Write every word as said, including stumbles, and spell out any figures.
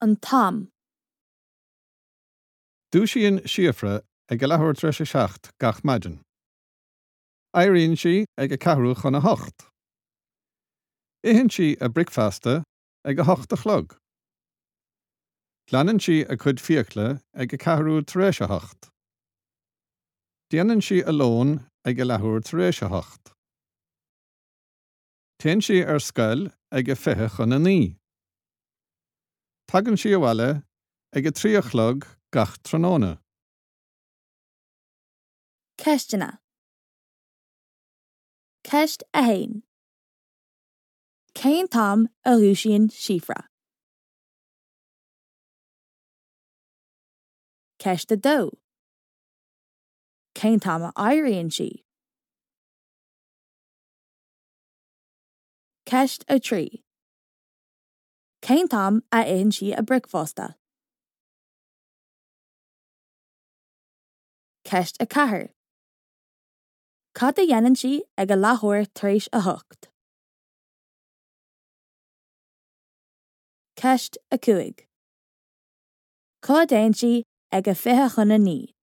An t-am. Dúisíonn Síofra ag a leathuair tar éis a seacht gach maidin. Éiríonn sí ag a ceathrú chun a hocht. Itheann sí a bricfeasta ag a hocht a chlog. Glanann sí a cuid fiacla ag a ceathrú tar éis a hocht. Déanann sí a lón ag a leathuair tar éis a hocht. Téann sí ar scoil ag a fiche chun a naoi. Tagann sí abhaile ag a trí a chlog gach tráthnóna. Ceisteanna. Ceist a haon. Cén t-am a dhúisíonn Síofra? Ceist a dó. Cén t-am a éiríonn sí? Ceist a trí. Cén t-am a itheann sí a bricfeasta? Ceist a ceathair. Cad a dhéanann sí ag a leathuair tar éis a hocht? Ceist a cúig. Cá dtéann sí ag a fiche chun a naoi?